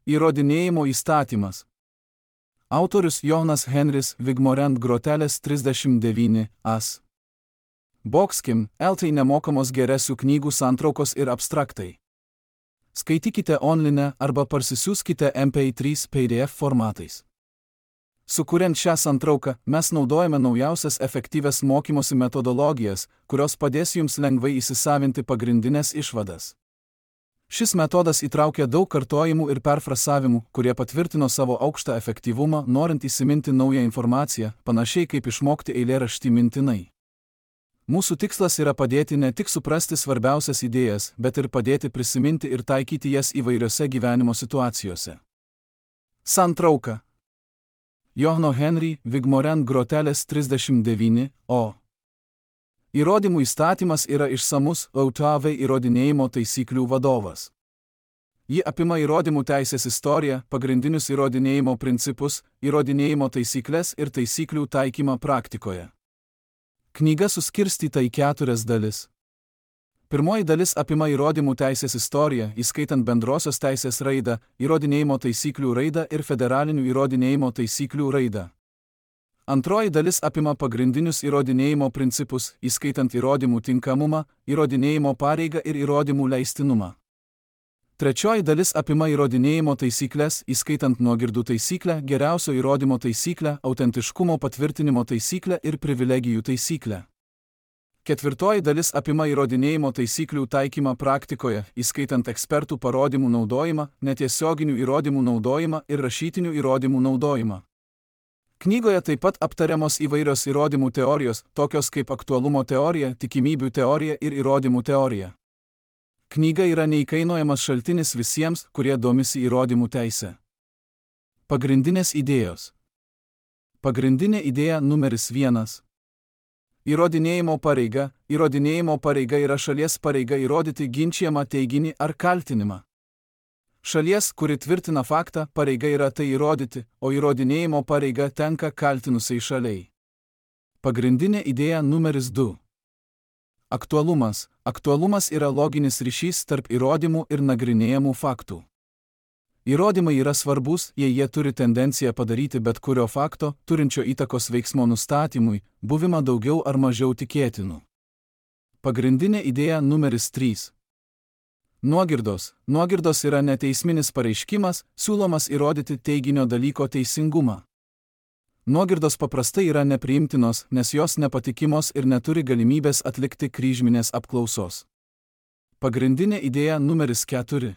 Įrodinėjimo įstatymas. Autorius Jonas Henris Vigmorent Groteles 39 as. Boxkim, LT nemokamos geresių knygų santraukos ir abstraktai. Skaitykite online arba parsisiųskite MP3 PDF formatais. Sukuriant šią santrauką, mes naudojame naujausias efektyvias mokymosi metodologijas, kurios padės jums lengvai įsisavinti pagrindinės išvadas. Šis metodas įtraukia daug kartojimų ir perfrasavimų, kurie patvirtino savo aukštą efektyvumą, norint įsiminti naują informaciją, panašiai kaip išmokti eilėraštį mintinai. Mūsų tikslas yra padėti ne tik suprasti svarbiausias idėjas, bet ir padėti prisiminti ir taikyti jas įvairiose gyvenimo situacijose. Santrauka. Johno Henry Vigmorent Groteles 39 o. Įrodymų įstatymas yra išsamus AUTAV įrodinėjimo taisyklių vadovas. Ji apima įrodymų teisės istoriją, pagrindinius įrodinėjimo principus, įrodinėjimo taisyklės ir taisyklių taikymą praktikoje. Knyga suskirstyta į 4 dalis. Pirmoji dalis apima įrodymų teisės istoriją, įskaitant bendrosios teisės raidą, įrodinėjimo taisyklių raidą ir federalinių įrodinėjimo taisyklių raidą. Antroji dalis apima pagrindinius įrodinėjimo principus, įskaitant įrodymų tinkamumą, įrodinėjimo pareigą ir įrodymų leistinumą. Trečioji dalis apima įrodinėjimo taisyklės, įskaitant nuogirdų taisyklę, geriausio įrodymo taisyklę, autentiškumo patvirtinimo taisyklę ir privilegijų taisyklę. Ketvirtoji dalis apima įrodinėjimo taisyklių taikymą praktikoje, įskaitant ekspertų parodymų naudojimą, netiesioginių įrodymų naudojimą ir rašytinių įrodymų naudojimą. Knygoje taip pat aptariamos įvairios įrodymų teorijos, tokios kaip aktualumo teorija, tikimybių teorija ir įrodymų teorija. Knyga yra neįkainojamas šaltinis visiems, kurie domisi įrodymų teise. Pagrindinės idėjos. Pagrindinė idėja numeris 1. Įrodinėjimo pareiga. Įrodinėjimo pareiga yra šalies pareiga įrodyti ginčijamą teiginį ar kaltinimą. Šalies, kuri tvirtina faktą, pareiga yra tai įrodyti, o įrodinėjimo pareiga tenka kaltinusiai šaliai. Pagrindinė idėja numeris 2. Aktualumas. Aktualumas yra loginis ryšys tarp įrodymų ir nagrinėjamų faktų. Įrodymai yra svarbus, jei jie turi tendenciją padaryti bet kurio fakto, turinčio įtakos veiksmo nustatymui, buvimą daugiau ar mažiau tikėtinų. Pagrindinė idėja numeris 3. Nuogirdos. Nuogirdos yra neteisminis pareiškimas, siūlomas įrodyti teiginio dalyko teisingumą. Nuogirdos paprastai yra nepriimtinos, nes jos nepatikimos ir neturi galimybės atlikti kryžminės apklausos. Pagrindinė idėja numeris 4.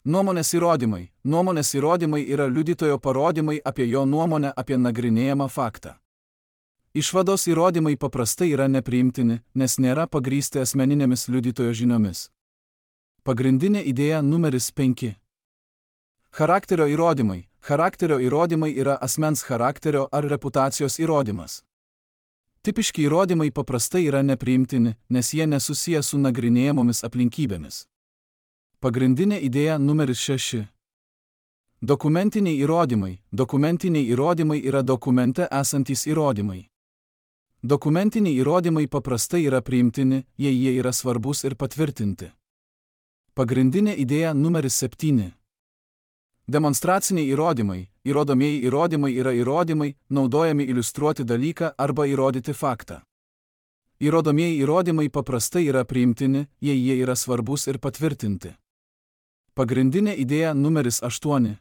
Nuomonės įrodymai. Nuomonės įrodymai yra liudytojo parodymai apie jo nuomonę apie nagrinėjamą faktą. Išvados įrodymai paprastai yra nepriimtini, nes nėra pagrįsti asmeninėmis liudytojo žiniomis. Pagrindinė idėja numeris 5. Charakterio įrodymai. Charakterio įrodymai yra asmens charakterio ar reputacijos įrodymas. Tipiški įrodymai paprastai yra nepriimtini, nes jie nesusiję su nagrinėjamomis aplinkybėmis. Pagrindinė idėja numeris 6. Dokumentiniai įrodymai. Dokumentiniai įrodymai yra dokumente esantys įrodymai. Dokumentiniai įrodymai paprastai yra priimtini, jei jie yra svarbus ir patvirtinti. Pagrindinė idėja numeris 7. Demonstraciniai įrodymai. Įrodomieji įrodymai yra įrodymai, naudojami iliustruoti dalyką arba įrodyti faktą. Įrodomieji įrodymai paprastai yra priimtini, jei jie yra svarbus ir patvirtinti. Pagrindinė idėja numeris 8.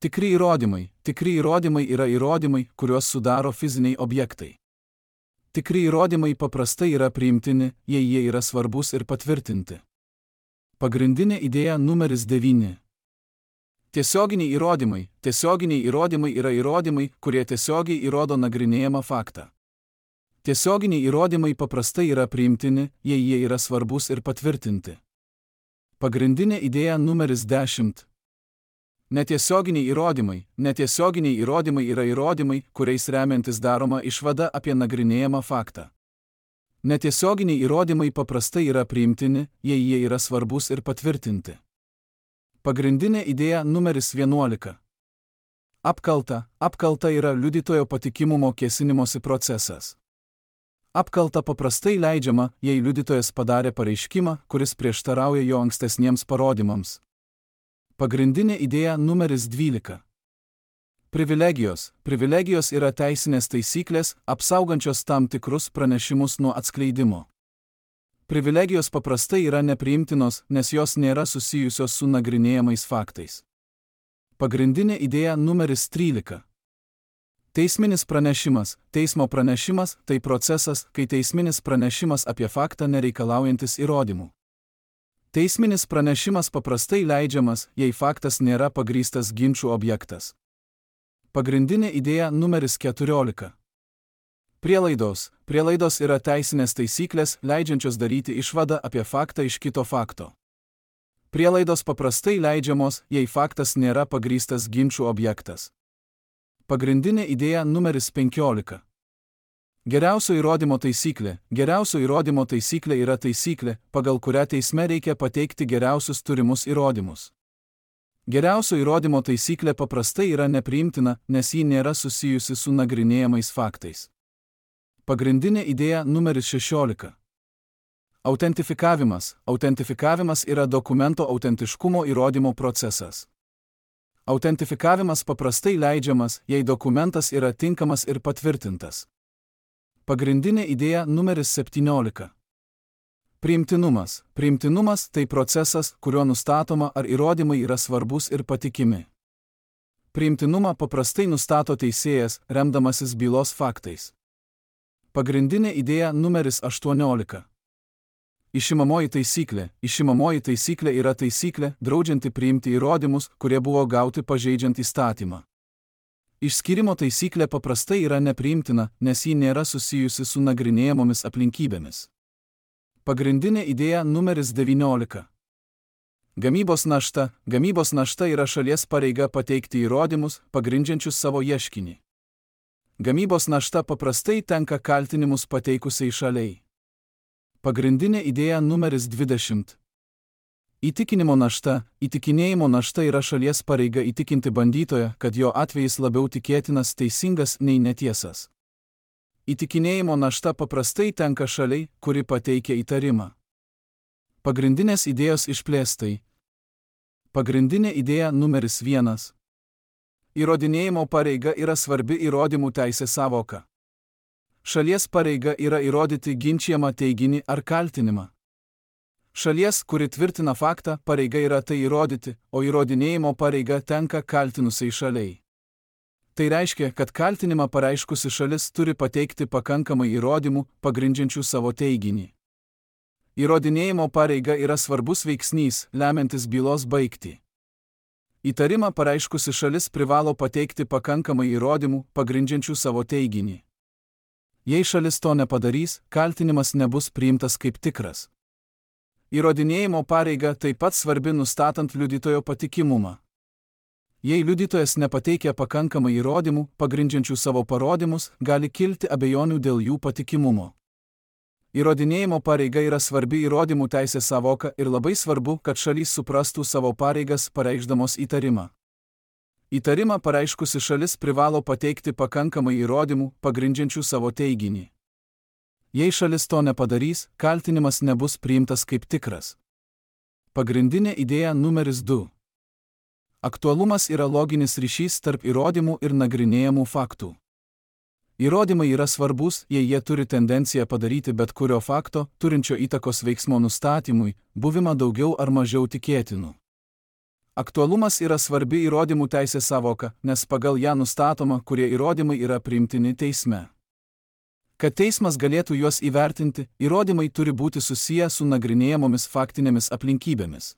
Tikri įrodymai. Tikri įrodymai yra įrodymai, kuriuos sudaro fiziniai objektai. Tikri įrodymai paprastai yra priimtini, jei jie yra svarbus ir patvirtinti. Pagrindinė idėja numeris 9. Tiesioginiai įrodymai. Tiesioginiai įrodymai yra įrodymai, kurie tiesiogiai įrodo nagrinėjamą faktą. Tiesioginiai įrodymai paprastai yra priimtini, jei jie yra svarbus ir patvirtinti. Pagrindinė idėja numeris 10. Netiesioginiai įrodymai. Netiesioginiai įrodymai yra įrodymai, kuriais remiantis daroma išvada apie nagrinėjamą faktą. Netiesioginiai įrodymai paprastai yra priimtini, jei jie yra svarbus ir patvirtinti. Pagrindinė idėja numeris 11. Apkalta. Apkalta yra liudytojo patikimumo kėsinimosi procesas. Apkalta paprastai leidžiama, jei liudytojas padarė pareiškimą, kuris prieštarauja jo ankstesniems parodymams. Pagrindinė idėja numeris 12. Privilegijos. Privilegijos yra teisinės taisyklės, apsaugančios tam tikrus pranešimus nuo atskleidimo. Privilegijos paprastai yra nepriimtinos, nes jos nėra susijusios su nagrinėjamais faktais. Pagrindinė idėja numeris 13. Teisminis pranešimas. Teismo pranešimas – tai procesas, kai teisminis pranešimas apie faktą nereikalaujantis įrodymų. Teisminis pranešimas paprastai leidžiamas, jei faktas nėra pagrįstas ginčų objektas. Pagrindinė idėja numeris 14. Prielaidos. Prielaidos yra teisinės taisyklės, leidžiančios daryti išvadą apie faktą iš kito fakto. Prielaidos paprastai leidžiamos, jei faktas nėra pagrįstas ginčų objektas. Pagrindinė idėja numeris 15. Geriausio įrodymo taisyklė. Geriausio įrodymo taisyklė yra taisyklė, pagal kurią teisme reikia pateikti geriausius turimus įrodymus. Geriausio įrodymo taisyklė paprastai yra nepriimtina, nes ji nėra susijusi su nagrinėjamais faktais. Pagrindinė idėja numeris 16. Autentifikavimas. Autentifikavimas yra dokumento autentiškumo įrodymo procesas. Autentifikavimas paprastai leidžiamas, jei dokumentas yra tinkamas ir patvirtintas. Pagrindinė idėja numeris 17. Priimtinumas. Priimtinumas – tai procesas, kuriuo nustatoma, ar įrodymai yra svarbus ir patikimi. Priimtinumą paprastai nustato teisėjas, remdamasis bylos faktais. Pagrindinė idėja numeris 18. Išimamoji taisyklė. Išimamoji taisyklė yra taisyklė, draudžianti priimti įrodymus, kurie buvo gauti pažeidžiant įstatymą. Išskyrimo taisyklė paprastai yra nepriimtina, nes ji nėra susijusi su nagrinėjamomis aplinkybėmis. Pagrindinė idėja numeris 19. Gamybos našta. Gamybos našta yra šalies pareiga pateikti įrodymus, pagrindžiančius savo ieškinį. Gamybos našta paprastai tenka kaltinimus pateikusiai šaliai. Pagrindinė idėja numeris 20. Įtikinimo našta. Įtikinėjimo našta yra šalies pareiga įtikinti bandytoją, kad jo atvejis labiau tikėtinas teisingas nei netiesas. Įtikinėjimo našta paprastai tenka šaliai, kuri pateikia įtarimą. Pagrindinės idėjos išplėstai. Pagrindinė idėja numeris 1. Įrodinėjimo pareiga yra svarbi įrodymų teisės sąvoka. Šalies pareiga yra įrodyti ginčijamą teiginį ar kaltinimą. Šalies, kuri tvirtina faktą, pareiga yra tai įrodyti, o įrodinėjimo pareiga tenka kaltinusiai šaliai. Tai reiškia, kad kaltinimą pareiškusi šalis turi pateikti pakankamai įrodymų, pagrindžiančių savo teiginį. Įrodinėjimo pareiga yra svarbus veiksnys, lemiantis bylos baigtį. Įtarimą pareiškusi šalis privalo pateikti pakankamai įrodymų, pagrindžiančių savo teiginį. Jei šalis to nepadarys, kaltinimas nebus priimtas kaip tikras. Įrodinėjimo pareiga taip pat svarbi nustatant liudytojo patikimumą. Jei liudytojas nepateikia pakankamai įrodymų, pagrindžiančių savo parodymus, gali kilti abejonių dėl jų patikimumo. Įrodinėjimo pareiga yra svarbi įrodymų teisės sąvoka ir labai svarbu, kad šalys suprastų savo pareigas pareikšdamos įtarimą. Įtarimą pareiškusi šalis privalo pateikti pakankamai įrodymų, pagrindžiančių savo teiginį. Jei šalis to nepadarys, kaltinimas nebus priimtas kaip tikras. Pagrindinė idėja numeris 2. Aktualumas yra loginis ryšys tarp įrodymų ir nagrinėjamų faktų. Įrodymai yra svarbus, jei jie turi tendenciją padaryti bet kurio fakto, turinčio įtakos veiksmo nustatymui, buvimą daugiau ar mažiau tikėtinų. Aktualumas yra svarbi įrodymų teisės sąvoka, nes pagal ją nustatoma, kurie įrodymai yra priimtini teisme. Kad teismas galėtų juos įvertinti, įrodymai turi būti susiję su nagrinėjamomis faktinėmis aplinkybėmis.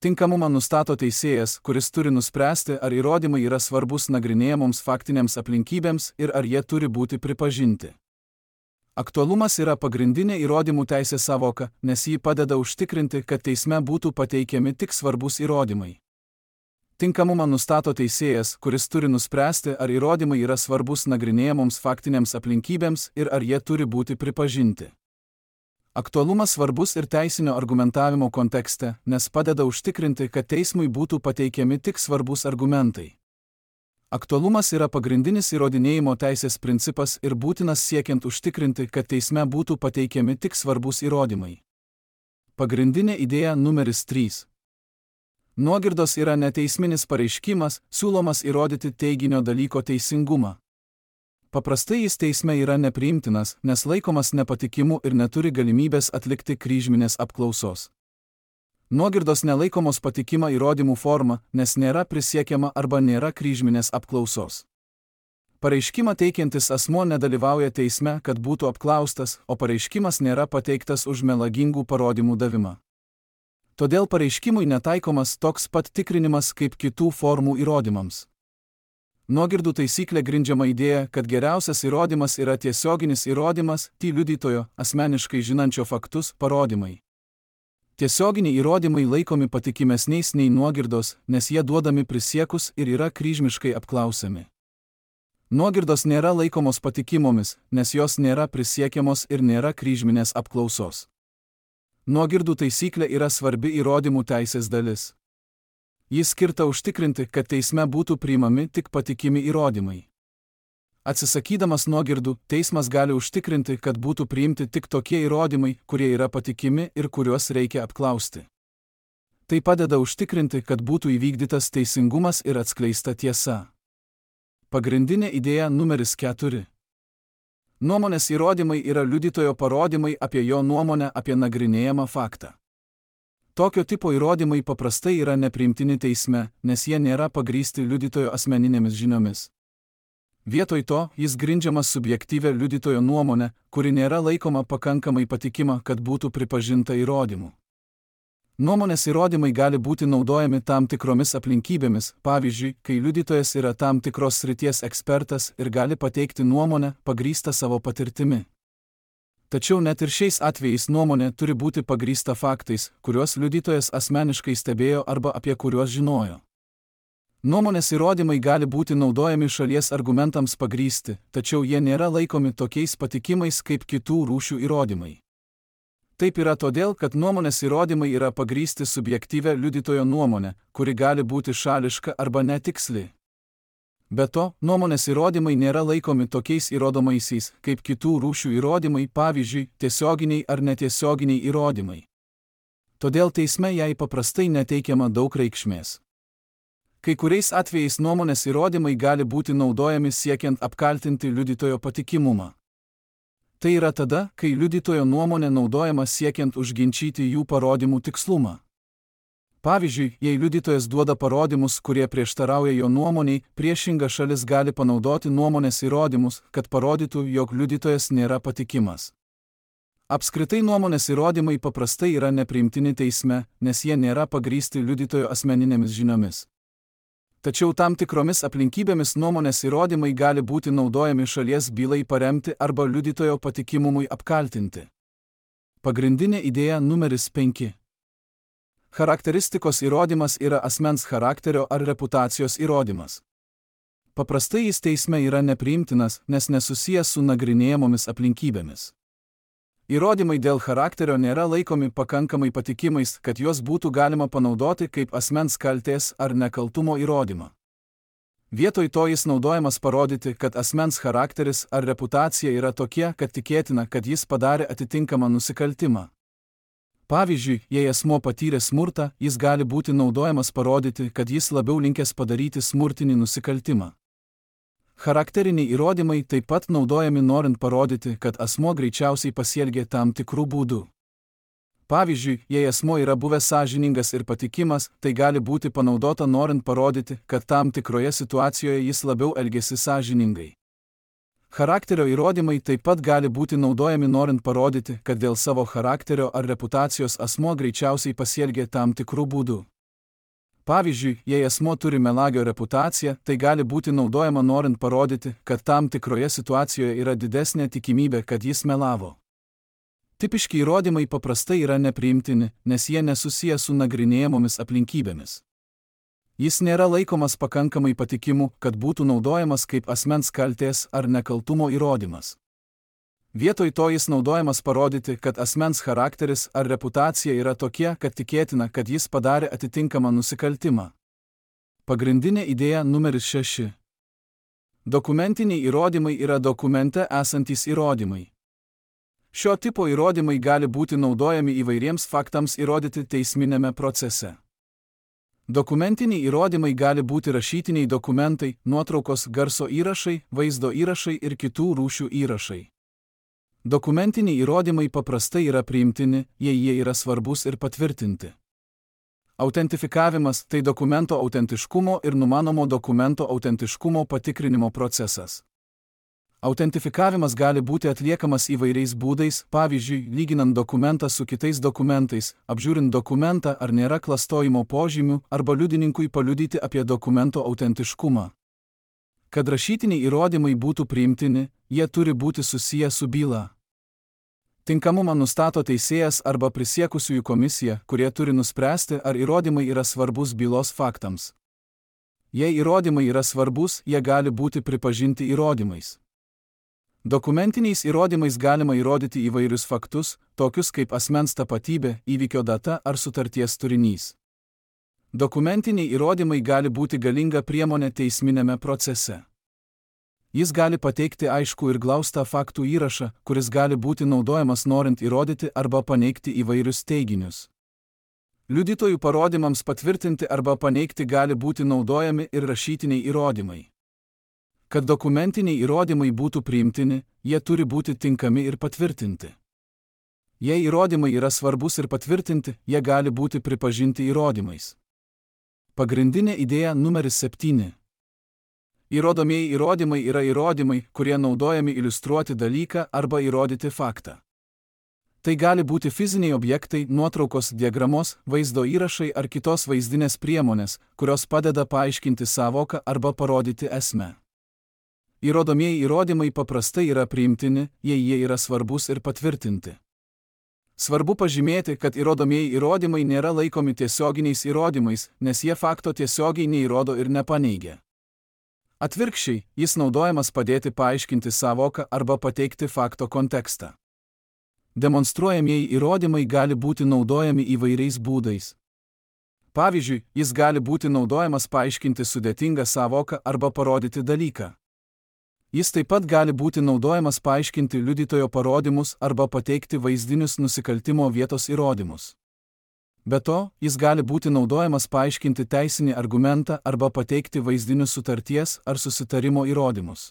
Tinkamumą nustato teisėjas, kuris turi nuspręsti, ar įrodymai yra svarbus nagrinėjamoms faktinėms aplinkybėms ir ar jie turi būti pripažinti. Aktualumas yra pagrindinė įrodymų teisės sąvoka, nes ji padeda užtikrinti, kad teisme būtų pateikiami tik svarbus įrodymai. Tinkamumą nustato teisėjas, kuris turi nuspręsti, ar įrodymai yra svarbus nagrinėjamoms faktinėms aplinkybėms ir ar jie turi būti pripažinti. Aktualumas svarbus ir teisinio argumentavimo kontekste, nes padeda užtikrinti, kad teismui būtų pateikiami tik svarbus argumentai. Aktualumas yra pagrindinis įrodinėjimo teisės principas ir būtinas siekiant užtikrinti, kad teisme būtų pateikiami tik svarbus įrodymai. Pagrindinė idėja numeris 3. Nuogirdos yra neteisminis pareiškimas, siūlomas įrodyti teiginio dalyko teisingumą. Paprastai jis teisme yra nepriimtinas, nes laikomas nepatikimu ir neturi galimybės atlikti kryžminės apklausos. Nuogirdos nelaikomos patikima įrodymų forma, nes nėra prisiekiama arba nėra kryžminės apklausos. Pareiškimą teikiantis asmuo nedalyvauja teisme, kad būtų apklaustas, o pareiškimas nėra pateiktas už melagingų parodymų davimą. Todėl pareiškimui netaikomas toks pat tikrinimas kaip kitų formų įrodymams. Nuogirdų taisyklė grindžiama idėja, kad geriausias įrodymas yra tiesioginis įrodymas, liudytojo, asmeniškai žinančio faktus, parodymai. Tiesioginiai įrodymai laikomi patikimesniais nei nuogirdos, nes jie duodami prisiekus ir yra kryžmiškai apklausiami. Nuogirdos nėra laikomos patikimomis, nes jos nėra prisiekiamos ir nėra kryžminės apklausos. Nuogirdų taisyklė yra svarbi įrodymų teisės dalis. Jis skirta užtikrinti, kad teisme būtų priimami tik patikimi įrodymai. Atsisakydamas nuogirdų, teismas gali užtikrinti, kad būtų priimti tik tokie įrodymai, kurie yra patikimi ir kuriuos reikia apklausti. Tai padeda užtikrinti, kad būtų įvykdytas teisingumas ir atskleista tiesa. Pagrindinė idėja numeris 4. Nuomonės įrodymai yra liudytojo parodymai apie jo nuomonę apie nagrinėjamą faktą. Tokio tipo įrodymai paprastai yra nepriimtini teisme, nes jie nėra pagrįsti liudytojo asmeninėmis žiniomis. Vietoj to, jis grindžiamas subjektyvia liudytojo nuomonė, kuri nėra laikoma pakankamai patikima, kad būtų pripažinta įrodymu. Nuomonės įrodymai gali būti naudojami tam tikromis aplinkybėmis, pavyzdžiui, kai liudytojas yra tam tikros srities ekspertas ir gali pateikti nuomonę, pagrįstą savo patirtimi. Tačiau net ir šiais atvejais nuomonė turi būti pagrįsta faktais, kuriuos liudytojas asmeniškai stebėjo arba apie kuriuos žinojo. Nuomonės įrodymai gali būti naudojami šalies argumentams pagrįsti, tačiau jie nėra laikomi tokiais patikimais kaip kitų rūšių įrodymai. Taip yra todėl, kad nuomonės įrodymai yra pagrįsti subjektyvia liudytojo nuomonė, kuri gali būti šališka arba netiksli. Be to, nuomonės įrodymai nėra laikomi tokiais įrodomaisiais, kaip kitų rūšių įrodymai, pavyzdžiui, tiesioginiai ar netiesioginiai įrodymai. Todėl teisme jai paprastai neteikiama daug reikšmės. Kai kuriais atvejais nuomonės įrodymai gali būti naudojami siekiant apkaltinti liudytojo patikimumą. Tai yra tada, kai liudytojo nuomonė naudojama siekiant užginčyti jų parodymų tikslumą. Pavyzdžiui, jei liudytojas duoda parodymus, kurie prieštarauja jo nuomoniai, priešinga šalis gali panaudoti nuomonės įrodymus, kad parodytų, jog liudytojas nėra patikimas. Apskritai nuomonės įrodymai paprastai yra nepriimtini teisme, nes jie nėra pagrįsti liudytojo asmeninėmis žiniomis. Tačiau tam tikromis aplinkybėmis nuomonės įrodymai gali būti naudojami šalies bylai paremti arba liudytojo patikimumui apkaltinti. Pagrindinė idėja numeris 5. Charakteristikos įrodymas yra asmens charakterio ar reputacijos įrodymas. Paprastai jis teisme yra nepriimtinas, nes nesusijęs su nagrinėjamomis aplinkybėmis. Įrodymai dėl charakterio nėra laikomi pakankamai patikimais, kad juos būtų galima panaudoti kaip asmens kaltės ar nekaltumo įrodymą. Vietoj to jis naudojamas parodyti, kad asmens charakteris ar reputacija yra tokie, kad tikėtina, kad jis padarė atitinkamą nusikaltimą. Pavyzdžiui, jei asmuo patyrė smurtą, jis gali būti naudojamas parodyti, kad jis labiau linkęs padaryti smurtinį nusikaltimą. Charakteriniai įrodymai taip pat naudojami norint parodyti, kad asmuo greičiausiai pasielgė tam tikrų būdų. Pavyzdžiui, jei asmuo yra buvęs sąžiningas ir patikimas, tai gali būti panaudota norint parodyti, kad tam tikroje situacijoje jis labiau elgėsi sąžiningai. Charakterio įrodymai taip pat gali būti naudojami norint parodyti, kad dėl savo charakterio ar reputacijos asmuo greičiausiai pasielgė tam tikrų būdų. Pavyzdžiui, jei asmuo turi melagio reputaciją, tai gali būti naudojama norint parodyti, kad tam tikroje situacijoje yra didesnė tikimybė, kad jis melavo. Tipiški įrodymai paprastai yra nepriimtini, nes jie nesusiję su nagrinėjamomis aplinkybėmis. Jis nėra laikomas pakankamai patikimu, kad būtų naudojamas kaip asmens kaltės ar nekaltumo įrodymas. Vietoj to jis naudojamas parodyti, kad asmens charakteris ar reputacija yra tokie, kad tikėtina, kad jis padarė atitinkamą nusikaltimą. Pagrindinė idėja numeris 6. Dokumentiniai įrodymai yra dokumente esantys įrodymai. Šio tipo įrodymai gali būti naudojami įvairiems faktams įrodyti teisminėme procese. Dokumentiniai įrodymai gali būti rašytiniai dokumentai, nuotraukos, garso įrašai, vaizdo įrašai ir kitų rūšių įrašai. Dokumentiniai įrodymai paprastai yra priimtini, jei jie yra svarbus ir patvirtinti. Autentifikavimas – tai dokumento autentiškumo ir numanomo dokumento autentiškumo patikrinimo procesas. Autentifikavimas gali būti atliekamas įvairiais būdais, pavyzdžiui, lyginant dokumentą su kitais dokumentais, apžiūrint dokumentą, ar nėra klastojimo požymių, arba liudininkui paliudyti apie dokumento autentiškumą. Kad rašytiniai įrodymai būtų priimtini, jie turi būti susiję su byla. Tinkamumą nustato teisėjas arba prisiekusiųjų komisija, kurie turi nuspręsti, ar įrodymai yra svarbus bylos faktams. Jei įrodymai yra svarbus, jie gali būti pripažinti įrodymais. Dokumentiniais įrodymais galima įrodyti įvairius faktus, tokius kaip asmens tapatybė, įvykio data ar sutarties turinys. Dokumentiniai įrodymai gali būti galinga priemonė teisminėme procese. Jis gali pateikti aiškų ir glaustą faktų įrašą, kuris gali būti naudojamas norint įrodyti arba paneigti įvairius teiginius. Liudytojų parodymams patvirtinti arba paneigti gali būti naudojami ir rašytiniai įrodymai. Kad dokumentiniai įrodymai būtų priimtini, jie turi būti tinkami ir patvirtinti. Jei įrodymai yra svarbus ir patvirtinti, jie gali būti pripažinti įrodymais. Pagrindinė idėja numeris 7. Įrodomieji įrodymai yra įrodymai, kurie naudojami iliustruoti dalyką arba įrodyti faktą. Tai gali būti fiziniai objektai, nuotraukos, diagramos, vaizdo įrašai ar kitos vaizdinės priemonės, kurios padeda paaiškinti sąvoką arba parodyti esmę. Įrodomieji įrodymai paprastai yra priimtini, jei jie yra svarbus ir patvirtinti. Svarbu pažymėti, kad įrodomieji įrodymai nėra laikomi tiesioginiais įrodymais, nes jie fakto tiesiogiai neįrodo ir nepaneigia. Atvirkščiai, jis naudojamas padėti paaiškinti sąvoką arba pateikti fakto kontekstą. Demonstruojamieji įrodymai gali būti naudojami įvairiais būdais. Pavyzdžiui, jis gali būti naudojamas paaiškinti sudėtingą sąvoką arba parodyti dalyką. Jis taip pat gali būti naudojamas paaiškinti liudytojo parodymus arba pateikti vaizdinius nusikaltimo vietos įrodymus. Be to, jis gali būti naudojamas paaiškinti teisinį argumentą arba pateikti vaizdinius sutarties ar susitarimo įrodymus.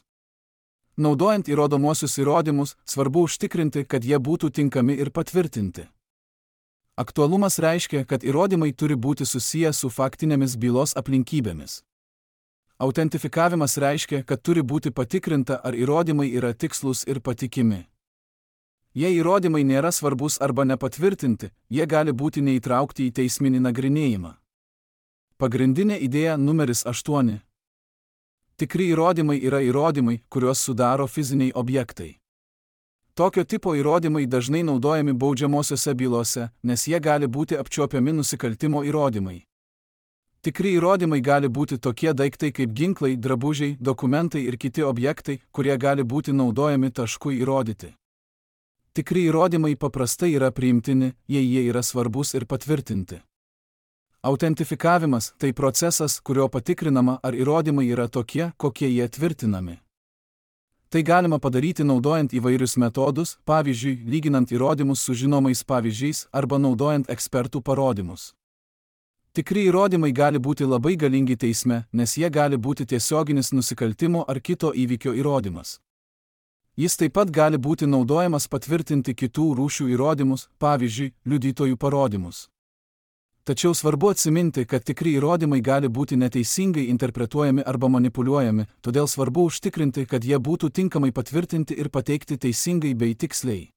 Naudojant įrodomuosius įrodymus, svarbu užtikrinti, kad jie būtų tinkami ir patvirtinti. Aktualumas reiškia, kad įrodymai turi būti susiję su faktinėmis bylos aplinkybėmis. Autentifikavimas reiškia, kad turi būti patikrinta, ar įrodymai yra tikslūs ir patikimi. Jei įrodymai nėra svarbus arba nepatvirtinti, jie gali būti neįtraukti į teisminį nagrinėjimą. Pagrindinė idėja numeris 8. Tikri įrodymai yra įrodymai, kuriuos sudaro fiziniai objektai. Tokio tipo įrodymai dažnai naudojami baudžiamosiose bylose, nes jie gali būti apčiuopiami nusikaltimo įrodymai. Tikri įrodymai gali būti tokie daiktai kaip ginklai, drabužiai, dokumentai ir kiti objektai, kurie gali būti naudojami taškui įrodyti. Tikri įrodymai paprastai yra priimtini, jei jie yra svarbus ir patvirtinti. Autentifikavimas – tai procesas, kurio patikrinama, ar įrodymai yra tokie, kokie jie tvirtinami. Tai galima padaryti naudojant įvairius metodus, pavyzdžiui, lyginant įrodymus su žinomais pavyzdžiais arba naudojant ekspertų parodymus. Tikri įrodymai gali būti labai galingi teisme, nes jie gali būti tiesioginis nusikaltimo ar kito įvykio įrodymas. Jis taip pat gali būti naudojamas patvirtinti kitų rūšių įrodymus, pavyzdžiui, liudytojų parodymus. Tačiau svarbu atsiminti, kad tikri įrodymai gali būti neteisingai interpretuojami arba manipuliuojami, todėl svarbu užtikrinti, kad jie būtų tinkamai patvirtinti ir pateikti teisingai bei tiksliai.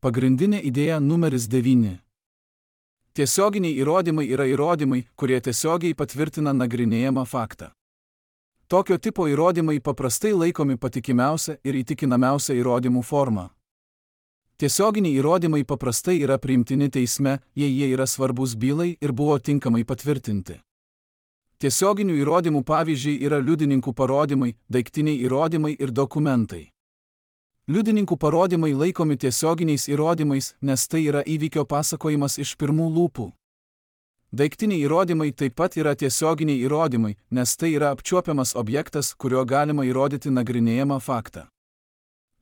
Pagrindinė idėja numeris 9. Tiesioginiai įrodymai yra įrodymai, kurie tiesiogiai patvirtina nagrinėjamą faktą. Tokio tipo įrodymai paprastai laikomi patikimiausia ir įtikinamiausia įrodymų forma. Tiesioginiai įrodymai paprastai yra priimtini teisme, jei jie yra svarbus bylai ir buvo tinkamai patvirtinti. Tiesioginių įrodymų pavyzdžiai yra liudininkų parodymai, daiktiniai įrodymai ir dokumentai. Liudininkų parodymai laikomi tiesioginiais įrodymais, nes tai yra įvykio pasakojimas iš pirmų lūpų. Daiktiniai įrodymai taip pat yra tiesioginiai įrodymai, nes tai yra apčiuopiamas objektas, kurio galima įrodyti nagrinėjamą faktą.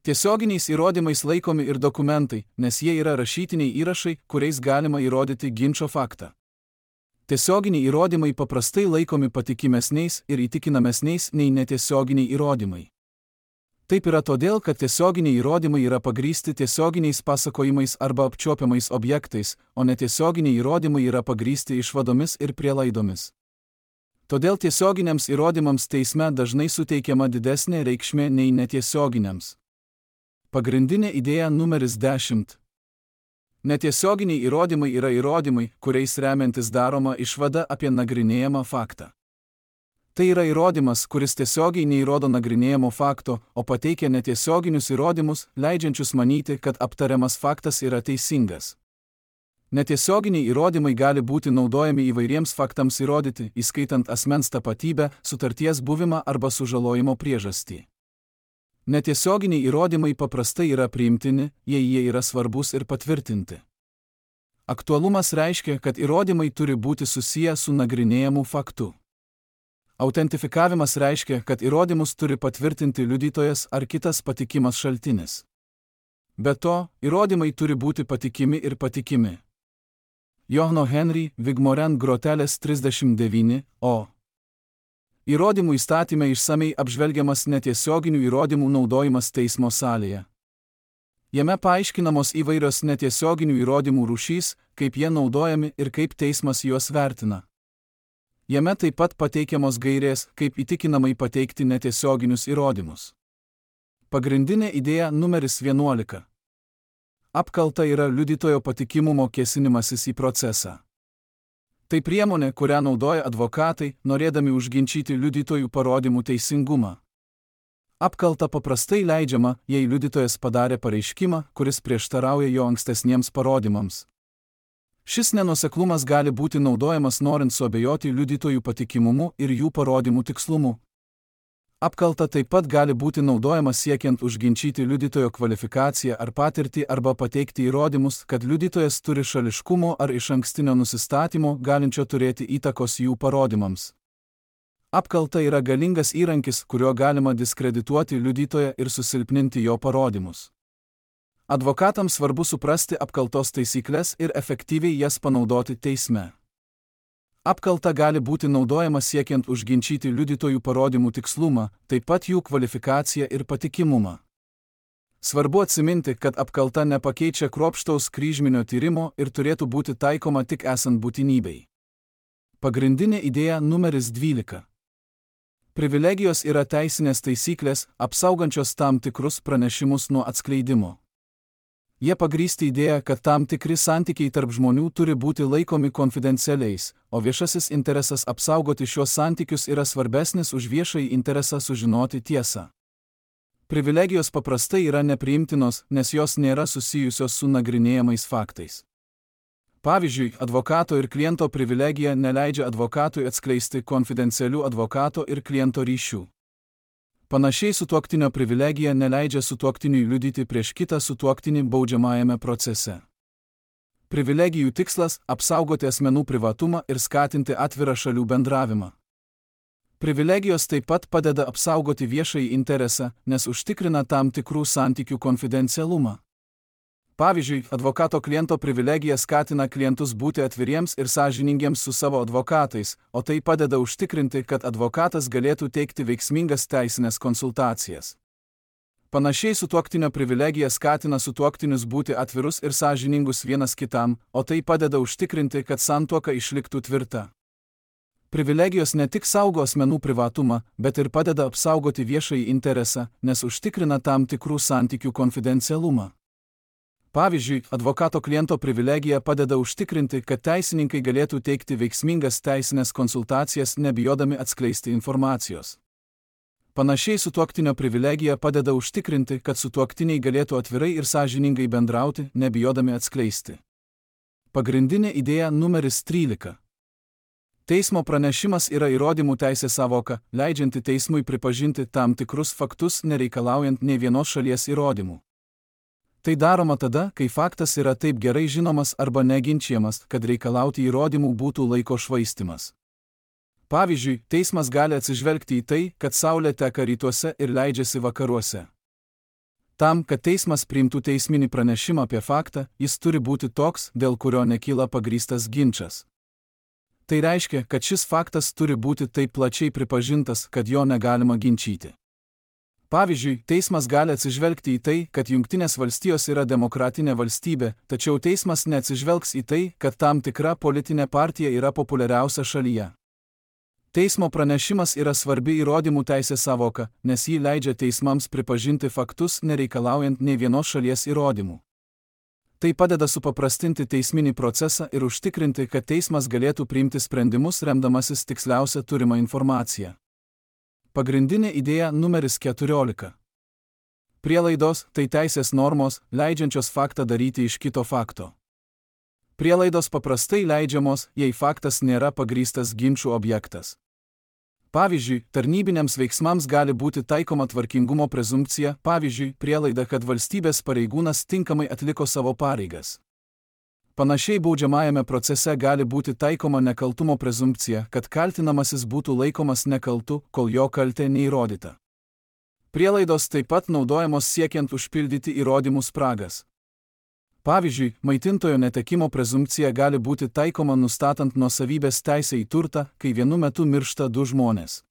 Tiesioginiais įrodymais laikomi ir dokumentai, nes jie yra rašytiniai įrašai, kuriais galima įrodyti ginčo faktą. Tiesioginiai įrodymai paprastai laikomi patikimesniais ir įtikinamesniais nei netiesioginiai įrodymai. Taip yra todėl, kad tiesioginiai įrodymai yra pagrįsti tiesioginiais pasakojimais arba apčiuopiamais objektais, o netiesioginiai įrodymai yra pagrįsti išvadomis ir prielaidomis. Todėl tiesioginiams įrodymams teisme dažnai suteikiama didesnė reikšmė nei netiesioginiams. Pagrindinė idėja numeris 10. Netiesioginiai įrodymai yra įrodymai, kuriais remiantis daroma išvada apie nagrinėjamą faktą. Tai yra įrodymas, kuris tiesiogiai neįrodo nagrinėjamo fakto, o pateikia netiesioginius įrodymus, leidžiančius manyti, kad aptariamas faktas yra teisingas. Netiesioginiai įrodymai gali būti naudojami įvairiems faktams įrodyti, įskaitant asmens tapatybę, sutarties buvimą arba sužalojimo priežastį. Netiesioginiai įrodymai paprastai yra priimtini, jei jie yra svarbus ir patvirtinti. Aktualumas reiškia, kad įrodymai turi būti susiję su nagrinėjamu faktu. Autentifikavimas reiškia, kad įrodymus turi patvirtinti liudytojas ar kitas patikimas šaltinis. Be to, įrodymai turi būti patikimi ir patikimi. Johno Henry Vigmorand Groteles 39, o. Įrodymų įstatyme išsamei apžvelgiamas netiesioginių įrodymų naudojimas teismo salėje. Jame paaiškinamos įvairios netiesioginių įrodymų rūšys, kaip jie naudojami ir kaip teismas juos vertina. Jame taip pat pateikiamos gairės, kaip įtikinamai pateikti netiesioginius įrodymus. Pagrindinė idėja numeris 11. Apkalta yra liudytojo patikimumo kėsinimasis į procesą. Tai priemonė, kurią naudoja advokatai, norėdami užginčyti liudytojų parodymų teisingumą. Apkalta paprastai leidžiama, jei liudytojas padarė pareiškimą, kuris prieštarauja jo ankstesniems parodymams. Šis nenuoseklumas gali būti naudojamas norint suabejoti liudytojų patikimumu ir jų parodymų tikslumu. Apkalta taip pat gali būti naudojama siekiant užginčyti liudytojo kvalifikaciją ar patirtį arba pateikti įrodymus, kad liudytojas turi šališkumo ar išankstinio nusistatymo, galinčio turėti įtakos jų parodymams. Apkalta yra galingas įrankis, kuriuo galima diskredituoti liudytoją ir susilpninti jo parodymus. Advokatams svarbu suprasti apkaltos taisyklės ir efektyviai jas panaudoti teisme. Apkalta gali būti naudojama siekiant užginčyti liudytojų parodymų tikslumą, taip pat jų kvalifikaciją ir patikimumą. Svarbu atsiminti, kad apkalta nepakeičia kruopštaus kryžminio tyrimo ir turėtų būti taikoma tik esant būtinybei. Pagrindinė idėja numeris 12. Privilegijos yra teisinės taisyklės, apsaugančios tam tikrus pranešimus nuo atskleidimo. Jie pagrįsti idėją, kad tam tikri santykiai tarp žmonių turi būti laikomi konfidencialiais, o viešasis interesas apsaugoti šios santykius yra svarbesnis už viešąjį interesą sužinoti tiesą. Privilegijos paprastai yra nepriimtinos, nes jos nėra susijusios su nagrinėjamais faktais. Pavyzdžiui, advokato ir kliento privilegija neleidžia advokatui atskleisti konfidencialių advokato ir kliento ryšių. Panašiai sutuoktinio privilegija neleidžia sutuoktiniui liudyti prieš kitą sutuoktinį baudžiamajame procese. Privilegijų tikslas – apsaugoti asmenų privatumą ir skatinti atvirą šalių bendravimą. Privilegijos taip pat padeda apsaugoti viešąjį interesą, nes užtikrina tam tikrų santykių konfidencialumą. Pavyzdžiui, advokato kliento privilegija skatina klientus būti atviriems ir sąžiningiems su savo advokatais, o tai padeda užtikrinti, kad advokatas galėtų teikti veiksmingas teisinės konsultacijas. Panašiai sutuoktinio privilegija skatina sutuoktinius būti atvirus ir sąžiningus vienas kitam, o tai padeda užtikrinti, kad santuoka išliktų tvirta. Privilegijos ne tik saugo asmenų privatumą, bet ir padeda apsaugoti viešąjį interesą, nes užtikrina tam tikrų santykių konfidencialumą. Pavyzdžiui, advokato kliento privilegija padeda užtikrinti, kad teisininkai galėtų teikti veiksmingas teisinės konsultacijas, nebijodami atskleisti informacijos. Panašiai sutuoktinio privilegija padeda užtikrinti, kad sutuoktiniai galėtų atvirai ir sąžiningai bendrauti, nebijodami atskleisti. Pagrindinė idėja numeris 13. Teismo pranešimas yra įrodymų teisės sąvoka, leidžianti teismui pripažinti tam tikrus faktus, nereikalaujant nė vienos šalies įrodymų. Tai daroma tada, kai faktas yra taip gerai žinomas arba neginčiamas, kad reikalauti įrodymų būtų laiko švaistymas. Pavyzdžiui, teismas gali atsižvelgti į tai, kad saulė teka rytuose ir leidžiasi vakaruose. Tam, kad teismas priimtų teisminį pranešimą apie faktą, jis turi būti toks, dėl kurio nekyla pagrįstas ginčas. Tai reiškia, kad šis faktas turi būti taip plačiai pripažintas, kad jo negalima ginčyti. Pavyzdžiui, teismas gali atsižvelgti į tai, kad Jungtinės valstijos yra demokratinė valstybė, tačiau teismas neatsižvelgs į tai, kad tam tikra politinė partija yra populiariausia šalyje. Teismo pranešimas yra svarbi įrodymų teisės savoka, nes jį leidžia teismams pripažinti faktus, nereikalaujant nei vienos šalies įrodymų. Tai padeda supaprastinti teisminį procesą ir užtikrinti, kad teismas galėtų priimti sprendimus remdamasis tiksliausia turima informacija. Pagrindinė idėja numeris 14. Prielaidos – tai teisės normos, leidžiančios faktą daryti iš kito fakto. Prielaidos paprastai leidžiamos, jei faktas nėra pagrįstas ginčų objektas. Pavyzdžiui, tarnybiniams veiksmams gali būti taikoma tvarkingumo prezumpcija, pavyzdžiui, prielaida, kad valstybės pareigūnas tinkamai atliko savo pareigas. Panašiai baudžiamajame procese gali būti taikoma nekaltumo prezumpcija, kad kaltinamasis būtų laikomas nekaltu, kol jo kaltė neįrodyta. Prielaidos taip pat naudojamos siekiant užpildyti įrodymų spragas. Pavyzdžiui, maitintojo netekimo prezumpcija gali būti taikoma nustatant nuosavybės teisę į turtą, kai vienu metu miršta du žmonės.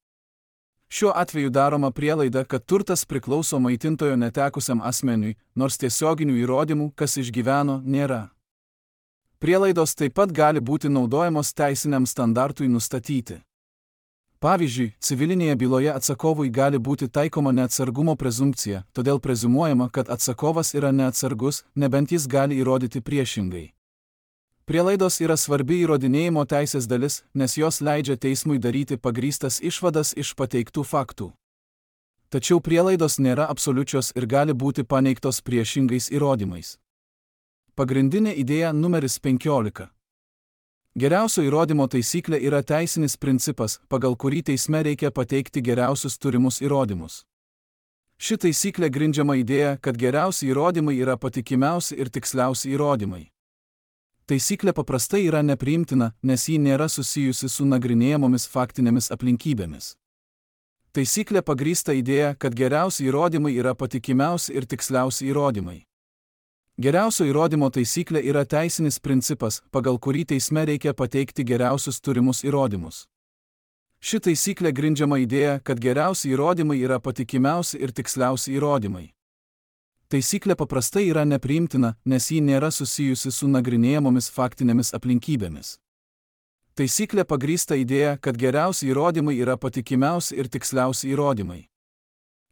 Šiuo atveju daroma prielaida, kad turtas priklauso maitintojo netekusiam asmeniui, nors tiesioginių įrodymų, kas išgyveno, nėra. Prielaidos taip pat gali būti naudojamos teisiniam standartui nustatyti. Pavyzdžiui, civilinėje byloje atsakovui gali būti taikoma neatsargumo prezumpcija, todėl prezumuojama, kad atsakovas yra neatsargus, nebent jis gali įrodyti priešingai. Prielaidos yra svarbi įrodinėjimo teisės dalis, nes jos leidžia teismui daryti pagrįstas išvadas iš pateiktų faktų. Tačiau prielaidos nėra absoliučios ir gali būti paneigtos priešingais įrodymais. Pagrindinė idėja numeris 15. Geriausio įrodymo taisyklė yra teisinis principas, pagal kurį teisme reikia pateikti geriausius turimus įrodymus. Ši taisyklė grindžiama idėja, kad geriausi įrodymai yra patikimiausi ir tiksliausi įrodymai. Taisyklė paprastai yra nepriimtina, nes ji nėra susijusi su nagrinėjamomis faktinėmis aplinkybėmis. Taisyklė pagrįsta idėja, kad geriausi įrodymai yra patikimiausi ir tiksliausi įrodymai. Geriausio įrodymo taisyklė yra teisinis principas, pagal kurį teisme reikia pateikti geriausius turimus įrodymus. Ši taisyklė grindžiama idėja, kad geriausi įrodymai yra patikimiausi ir tiksliausi įrodymai. Taisyklė paprastai yra nepriimtina, nes ji nėra susijusi su nagrinėjamomis faktinėmis aplinkybėmis. Taisyklė pagrįsta idėja, kad geriausi įrodymai yra patikimiausi ir tiksliausi įrodymai.